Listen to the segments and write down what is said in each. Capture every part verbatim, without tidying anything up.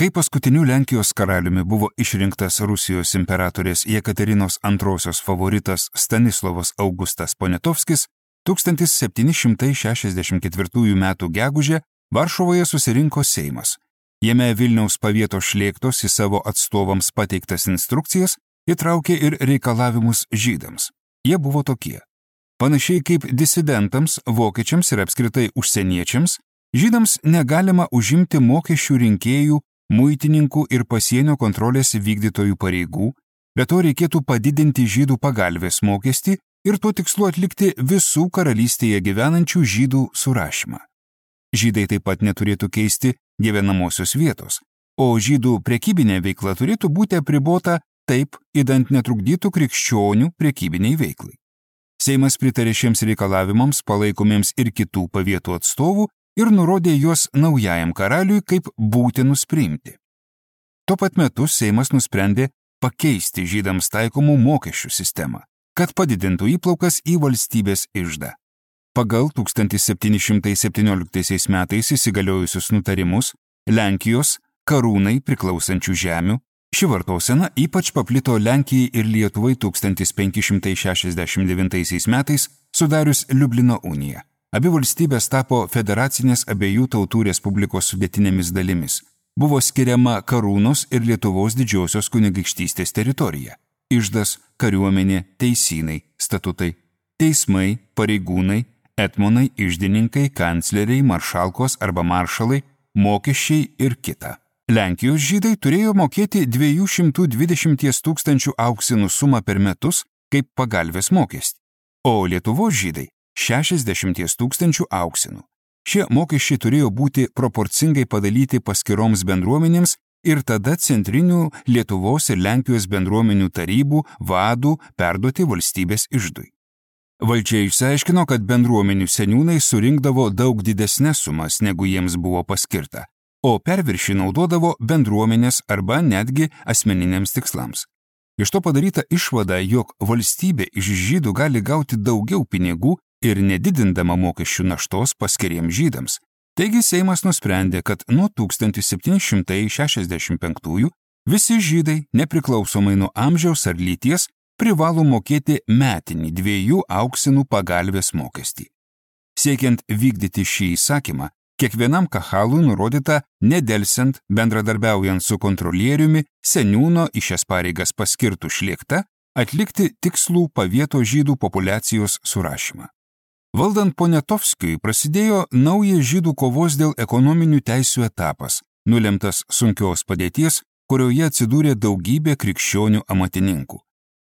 Kai paskutiniu Lenkijos karaliumi buvo išrinktas Rusijos imperatorės Jekaterinos antrosios favoritas Stanislovas Augustas Poniatovskis, tūkstantis septyni šimtai šešiasdešimt ketvirtųjų metų gegužę Varšuvoje susirinko Seimas. Jame Vilniaus pavietos šlėktos į savo atstovams pateiktas instrukcijas įtraukė ir reikalavimus žydams. Jie buvo tokie. Panašiai kaip disidentams, vokiečiams ir apskritai užsieniečiams, žydams negalima užimti mokesčių rinkėjų, muitininkų ir pasienio kontrolės vykdytojų pareigų, bet to reikėtų padidinti žydų pagalvės mokestį ir tuo tikslu atlikti visų karalystėje gyvenančių žydų surašymą. Žydai taip pat neturėtų keisti gyvenamosios vietos, o žydų prekybinė veikla turėtų būti apribota taip, idant netrukdytų krikščionių prekybiniai veiklai. Seimas pritarė šiems reikalavimams palaikomiems ir kitų pavietų atstovų ir nurodė juos naujajam karaliui kaip būtinus priimti. Tuo pat metu Seimas nusprendė pakeisti žydams taikomų mokesčių sistemą, kad padidintų įplaukas į valstybės iždą. Pagal tūkstantis septyni šimtai septynioliktaisiais metais įsigaliojusius nutarimus Lenkijos karūnai priklausančių žemių, ši vartosena ypač paplito Lenkijai ir Lietuvai tūkstantis penki šimtai šešiasdešimt devintaisiais metais sudarius Liublino uniją. Abi valstybės tapo federacinės abiejų tautų respublikos sudėtinėmis dalimis. Buvo skiriama karūnos ir Lietuvos didžiosios kunigaikštystės teritorija. Iždas, kariuomenė, teisynai, statutai, teismai, pareigūnai, etmonai, iždininkai, kancleriai, maršalkos arba maršalai, mokesčiai ir kita. Lenkijos žydai turėjo mokėti dviejų šimtų dvidešimt tūkstančių auksinų sumą per metus kaip pagalvės mokestį, o Lietuvos žydai šešiasdešimt tūkstančių auksinų. Šie mokesčiai turėjo būti proporcingai padalyti paskiroms bendruomenėms ir tada centrinių Lietuvos ir Lenkijos bendruomenių tarybų vadų perduoti valstybės iždui. Valdžia išsiaiškino, kad bendruomenių seniūnai surinkdavo daug didesnes sumas, negu jiems buvo paskirta, o perviršį naudodavo bendruomenės arba netgi asmeniniams tikslams. Iš to padaryta išvada, jog valstybė iš žydų gali gauti daugiau pinigų ir nedidindama mokesčių naštos paskiriems žydams. Taigi Seimas nusprendė, kad nuo tūkstantis septyni šimtai šešiasdešimt penktųjų visi žydai, nepriklausomai nuo amžiaus ar lyties, privalo mokėti metinį dviejų auksinų pagalvės mokestį. Siekiant vykdyti šį įsakymą, kiekvienam kahalui nurodyta, nedelsiant, bendradarbiaujant su kontrolieriumi, seniūno į šias pareigas paskirtų šlėkta, atlikti tikslų pavieto žydų populiacijos surašymą. Valdant Poniatovskiui prasidėjo naujas žydų kovos dėl ekonominių teisių etapas, nulemtas sunkios padėties, kurioje atsidūrė daugybė krikščionių amatininkų.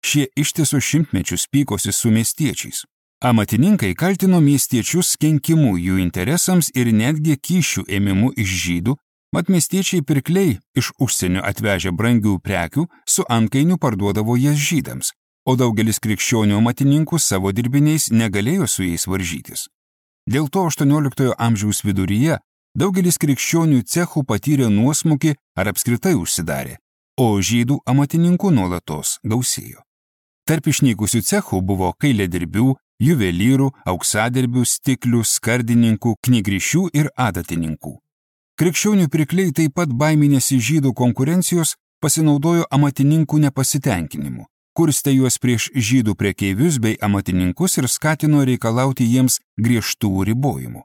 Šie ištisus šimtmečius pykosi su miestiečiais. Amatininkai kaltino miestiečius kenkimu jų interesams ir netgi kyšių ėmimu iš žydų, mat miestiečiai pirkliai iš užsienio atvežę brangių prekių su antkainiu parduodavo jas žydams, o daugelis krikščionių amatininkų savo dirbiniais negalėjo su jais varžytis. Dėl to aštuonioliktojo amžiaus viduryje daugelis krikščionių cechų patyrė nuosmukį ar apskritai užsidarė, o žydų amatininkų nuolatos gausėjo. Tarp išnykusių cechų buvo kailiadirbių, juvelyrų, auksadirbių, stiklių, skardininkų, knygrišių ir adatininkų. Krikščionių pirkliai taip pat baiminėsi žydų konkurencijos pasinaudojo amatininkų nepasitenkinimu, kurstė juos prieš žydų prekeivius bei amatininkus ir skatino reikalauti jiems griežtų ribojimų.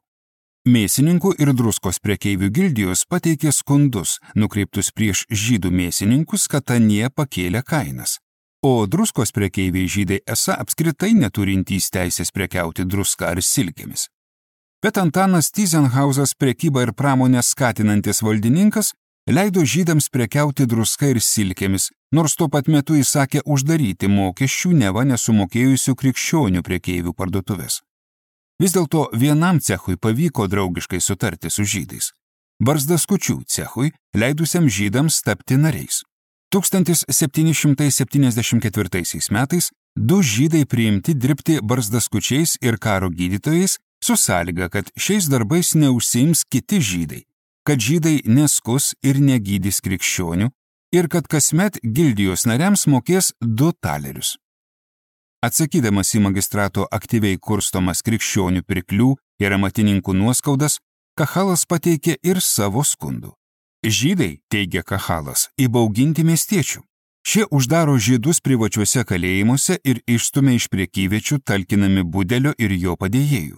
Mėsininkų ir druskos prekeivių gildijos pateikė skundus, nukreiptus prieš žydų mėsininkus, kad anie pakėlė kainas. O druskos prekeiviai žydai esą apskritai neturintys teisės prekiauti druską ar silkėmis. Bet Antanas Tyzenhauzas, prekybą ir pramonę skatinantis valdininkas, leido žydams prekiauti druską ir silkėmis, nors tuo pat metu įsakė uždaryti mokesčių neva nesumokėjusių krikščionių prekeivių parduotuvės. Vis dėlto vienam cechui pavyko draugiškai sutarti su žydais. Barzdaskučių cechui, leidusiam žydams tapti nariais. tūkstantis septyni šimtai septyniasdešimt ketvirtaisiais metais du žydai priimti dirbti barzdaskučiais ir karo gydytojais su sąlyga, kad šiais darbais neužsiims kiti žydai, kad žydai neskus ir negydys krikščionių ir kad kasmet gildijos nariams mokės du talerius. Atsakydamas į magistrato aktyviai kurstomas krikščionių pirklių ir amatininkų nuoskaudas, Kahalas pateikė ir savo skundų. Žydai, teigia Kahalas, įbauginti miestiečių. Šie uždaro žydus privačiuose kalėjimuose ir išstumia iš priekyviečių talkinami Budelio ir jo padėjėjų.